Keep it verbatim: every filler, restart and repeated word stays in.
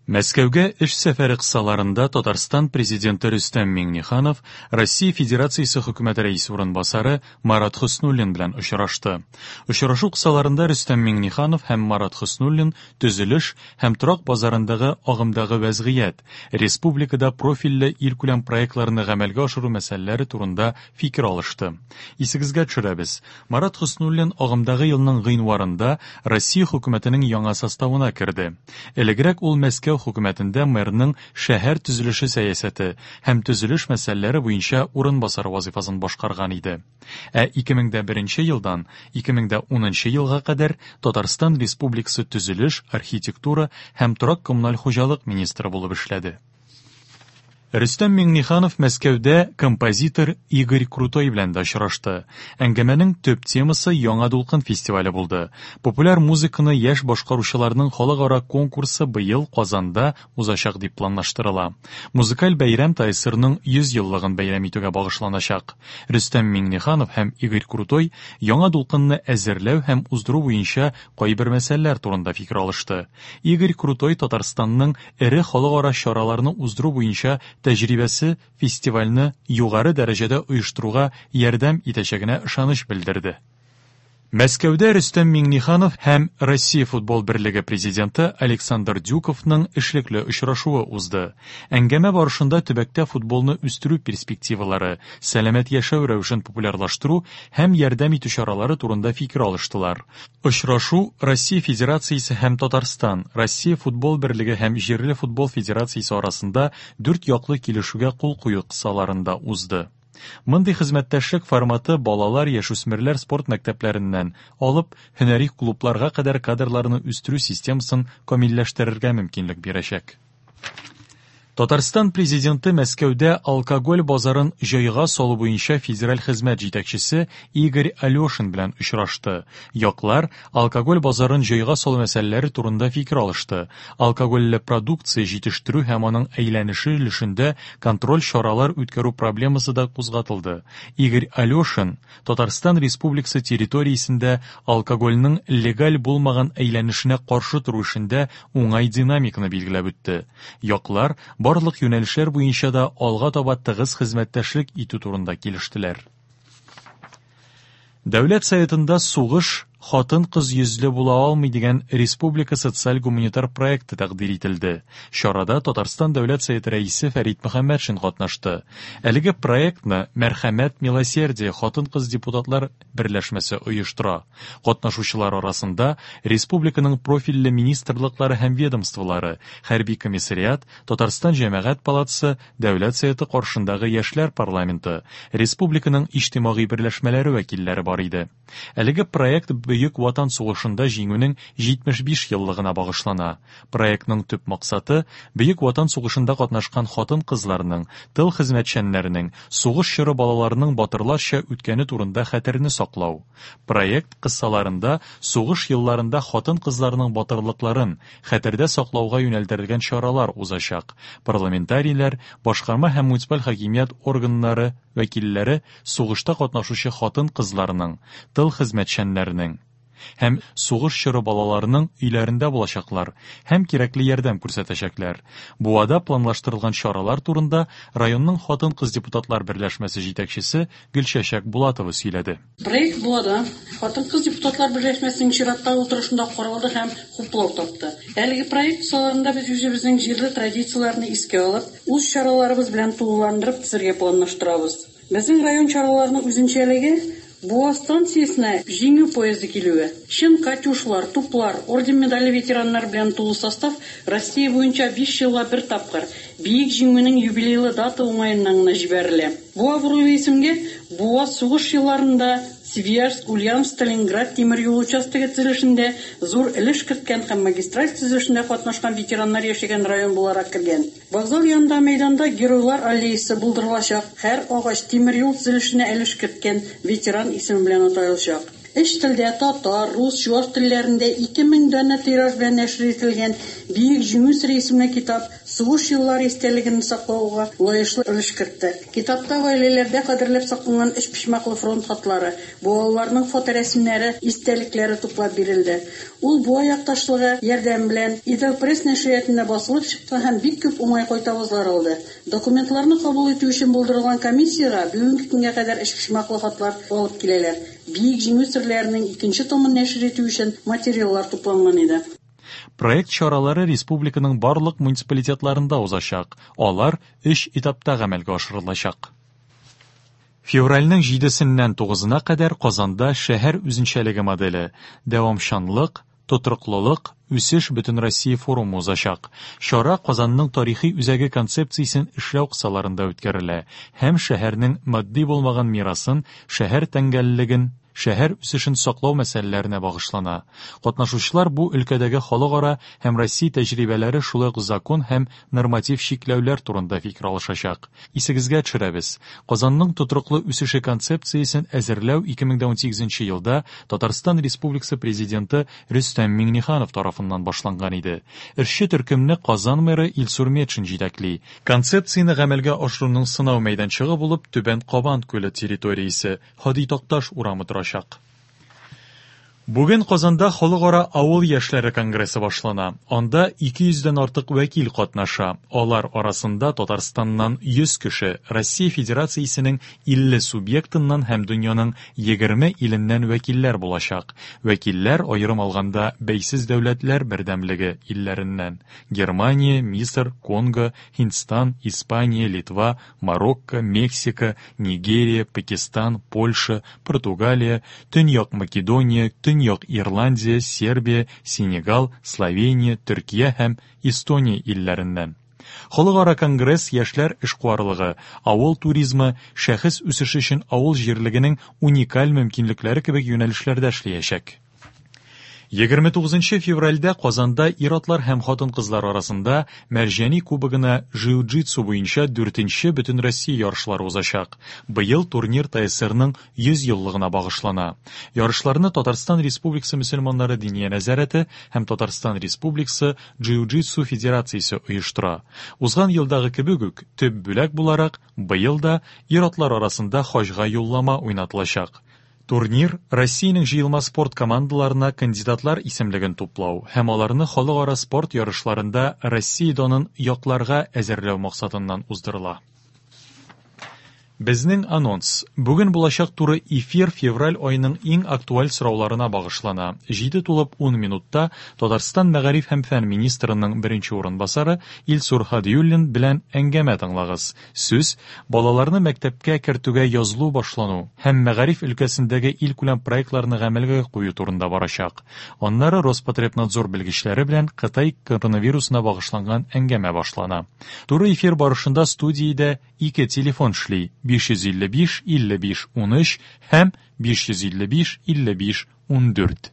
Мәскәүгә эш сәфәре кысаларында Татарстан Президенты Рөстәм Миңнеханов Россия Федерациясе Хөкүмәте рәисе урынбасары Марат Хөснуллин белән очрашты. Очрашу кысаларында Рөстәм Миңнеханов һәм Марат Хөснуллин төзелеш һәм торак базарындагы агымдагы вәзгыять, республикада профильле илкүләм проектларны гамәлгә ашыру мәсьәләләре турында фикер алышты. Исегезгә төшерәбез, Марат Хөснуллин агымдагы елның гыйнварында Россия хөкүмәтенең яңа составына керде. Элегрәк ул Мәскәү хөкүмәтендә мэрның шәһәр төзелеше сәясәте һәм төзелеш мәсьәләләре буенча урынбасары вазифасын башкарган иде. Ә ике мең дә беренче елдан ике мең дә унынчы елга кадәр Татарстан Республикасы төзелеш, архитектура һәм торак-коммуналь хуҗалык министры булып эшләде. Рөстәм Миңнеханов Мәскәүдә композитор Игорь Крутой белән дә очрашты. Әңгәмәнең төп темасы Яңа дулкын фестивале булды. Популяр музыканы яшь башкаручыларның халыкара конкурсы быел Казанда узачак дип планлаштырыла. Музыкаль бәйрәм ТАССРның йөз еллыгын бәйрәм итүгә багышланачак. Рөстәм Миңнеханов һәм Игорь Крутой Яңа дулкынны әзерләү һәм уздыру буенча кайбер мәсьәләләр турында фикер алышты. Игорь Крутой Татарстанның эре халыкара чараларны уздыру буенча тәҗрибәсе фестивальне югары дәрәҗәдә оештыруга ярдәм итәчәгенә ышаныч белдерде. Мәскәүдә Рөстәм Миңнеханов һәм Россия футбол берлеге президенты Александр Дюковның эшлекле очрашуы узды. Әңгәмә барышында төбәктә футболны үстерү перспективалары, сәламәт яшәү рәвешен популярлаштыру һәм ярдәм итү чаралары турында фикер алыштылар. Очрашу Россия Федерациясе һәм Татарстан, Россия футбол берлеге һәм җирле футбол федерациясе арасында дүрт яклы килешүгә кул кую кысаларында узды. Мондый хезмәттәшлек форматы балалар, яшүсмерләр спорт мәктәпләреннән алып һөнәри клубларга кадәр кадрларны үстерү системасын камилләштерергә мөмкинлек бирәчәк. Татарстан президенты Мәскәүдә алкоголь базарын җайга салу буенча федераль хезмәт җитәкчесе Игорь Алешин белән очрашты. Яклар алкоголь базарын җайга салу мәсьәләләре турында фикер алышты. Алкогольле продукция җитештерү һәм аның әйләнеше өлешендә контроль чаралар үткәрү проблемасы да кузгатылды. Игорь Алешин Татарстан Республикасы территориясендә алкогольнең легаль булмаган әйләнешенә каршы тору эшендә уңай динамиканы билгеләп үтте. Яклар барлык юнәлешләр буенча да алга таба тыгыз хезмәттәшлек итү турында килештеләр. Дәүләт Советында сугыш хатын-кыз йөзле була алмый дигән республика социаль-гуманитар проекты тәкъдир ителде. Чарада Татарстан Дәүләт Советы рәисе Фәрит Мөхәммәтшин катнашты. Әлеге проектны Мәрхәмәт Милосердие хатын-кыз депутатлар берләшмәсе оештыра. Катнашучылар арасында республиканың профильле министрлыклары һәм ведомстволары, хәрби комиссариат, Татарстан Җәмәгать палатасы, Дәүләт Советы каршындагы яшьләр парламенты, республиканың иҗтимагый берләшмәләре вәкилләре бар иде. Әлеге проект Бөек Ватан сугышында җиңүнең җитмеш биш еллыгына багышлана. Проектның төп максаты Бөек Ватан сугышында катнашкан хатын-кызларның, тыл хезмәтчәннәренең, сугыш чоры балаларының батырларча үткәне турында хәтерне саклау. Проект кысаларында сугыш елларында хатын-кызларның батырлыкларын хәтердә саклауга юнәлдерелгән чаралар узачак. Парламентарийлар, башкарма һәм муниципаль хакимият органнары вәкилләре сугышта катнашучы хатын-кызларның, тыл хезмәтчәннәренең һәм сугыш чоры балаларының өйләрендә булачаклар һәм кирәкле ярдәм күрсәтәчәкләр. Буада планлаштырылган чаралар турында районның хатын-кыз депутатлар берләшмәсе җитәкчесе Гөлчәчәк Булатова сөйләде. Проект Буада хатын-кыз депутатлар берләшмәсенең чираттагы утырышында каралды һәм хуплау тапты. Әлеге проект кысаларында без үзебезнең җирле традицияләрне искә алып, үз чараларыбыз белән тулыландырып төзергә планлаштырабыз. Безнең район чараларының үзенчәлеге Буа станциясенә җиңү поезды килүе. Чын катюшлар, туплар, орден медале ветераннар белән тулы состав Россия буенча биш елга бер тапкыр Бөек Җиңүнең юбилейлы дата уңаеннан гына җибәрелә. Бу абруйлы исемгә Буа сугыш елларында Свияжск, Ульяновск, Сталинград тимер юлы участогы төзелешендә зур өлеш керткән һәм магистраль төзелешендә катнашкан ветераннар яшәгән район буларак кергән. Вокзал янында мәйданда Геройлар аллеясы булдырылачак. Һәр агач тимер юл төзелешенә өлеш керткән ветеран исеме белән аталачак. Өч телдә татар, рус, чуаш телләрендә ике мең данә тираж белән нәшер ителгән Бөек Җиңү сере исемле китап сугыш еллары истәлеген саклауга лаешлы өлеш кертте. Китапта гаиләләрдә кадерләп сакланган өчпочмаклы фронт хатлары, балаларның фоторәсемнәре, истәлекләре туплап бирелде. Ул Буа якташлыгы ярдәме белән Идел-пресс нәшриятында басылып чыкты һәм бик күп уңай кайтавазлар алды. Документларны кабул итү өчен булдырылган комиссиягә бүгенге көнгә кадәр өчпочмаклы хатлар алып киләләр. Бөек Җиңү серләренең икенче томын нәшер итү өчен материаллар тупланган иде. Проект чаралары республиканың барлык муниципалитетларында узачак. Алар өч этапта гамәлгә ашырылачак. Февральнең җидесеннән тугызына кадәр Казанда шәһәр үзенчәлеге моделе дәвамчанлык, тотрыклылык, үсеш Бөтенроссия форумы узачак. Чара Казанның тарихи үзәге концепциясен эшләү кысаларында үткәрелә һәм шәһәрнең матди булмаган мирасын, шәһәр тәңгәллеген, шәһәр үсешен саклау мәсьәләләренә багышлана. Катнашучылар бу өлкәдәге халыкара һәм Россия тәҗрибәләре, шулай ук закон һәм норматив чикләүләр турында фикер алышачак. Исегезгә төшерәбез. Казанның тотрыклы үсеше концепциясен әзерләү ике мең дә унсигезенче елда Татарстан Республикасы президенты Рөстәм Миңнеханов тарафыннан башланган иде. Эшче төркемне Казан мэры Илсур Метшин җитәкли. Концепцияне гамәлгә ашыруның сынау мәйданчыгы булып Түбән Кабан күле территориясе, Һади Такташ урамы торачак. Бүген Казанда Халыкара авыл яшьләре конгрессы башлана. Анда ике йөздән артык вәкил катнаша. Алар арасында Татарстаннан йөз кеше, Россия Федерациясенең илле субъектыннан һәм дөньяның егерме иленнән вәкилләр булачак. Вәкилләр аерым алганда бәйсез дәүләтләр бердәмлеге илләреннән: Германия, Мисыр, Конго, Һиндстан, Испания, Литва, Марокко, Мексика, Нигерия, Пакистан, Польша, Португалия, Төньяк Македония, Төньяк Ирландия, Сербия, Сенегал, Словения, Төркия һәм Эстония илләреннән. Халыкара конгресс яшьләр эшкуарлыгы, авыл туризмы, шәхес үсеше өчен авыл җирлегенең уникаль мөмкинлекләре кебек юнәлешләрдә эшләячәк. Егерме тугызынчы февральдә Казанда ир-атлар һәм хатын-кызлар арасында Мәрҗани кубогына джиу-джитсу буенча дүртенче Бөтенроссия ярышлары узачак. Быел турнир ТСРның йөз еллыгына багышлана. Ярышларны Татарстан Республикасы мөселманнары диния нәзарәте һәм Татарстан Республикасы джиу-джитсу федерациясе оештыра. Узган елдагы кебек үк төп бүләк буларак быел да ир-атлар арасында хаҗга юллама уйнатылачак. Турнир Россиянең җыелма спорт командаларына кандидатлар исемлеген туплау һәм аларны халыкара спорт ярышларында Россия данын якларга әзерләү максатыннан уздырыла. Безнең анонс. Бүген булачак туры эфир февраль аеның иң актуаль сорауларына багышлана. Җиде тулып ун минутта Татарстан мәгариф һәм фән министрының беренче урынбасары Илсур Һадиуллин белән әңгәмә тыңлагыз. Сүз балаларны мәктәпкә кертүгә язылу башлану һәм мәгариф өлкәсендәге илкүләм проектларны гамәлгә кую турында барачак. Аннары Роспотребнадзор белгечләре белән Кытай коронавирусына багышланган әңгәмә башлана. Туры эфир барышында студиядә ике телефон эшли: биш йөз илле биш, илле биш, унөч һәм биш йөз илле биш, илле биш, ундүрт.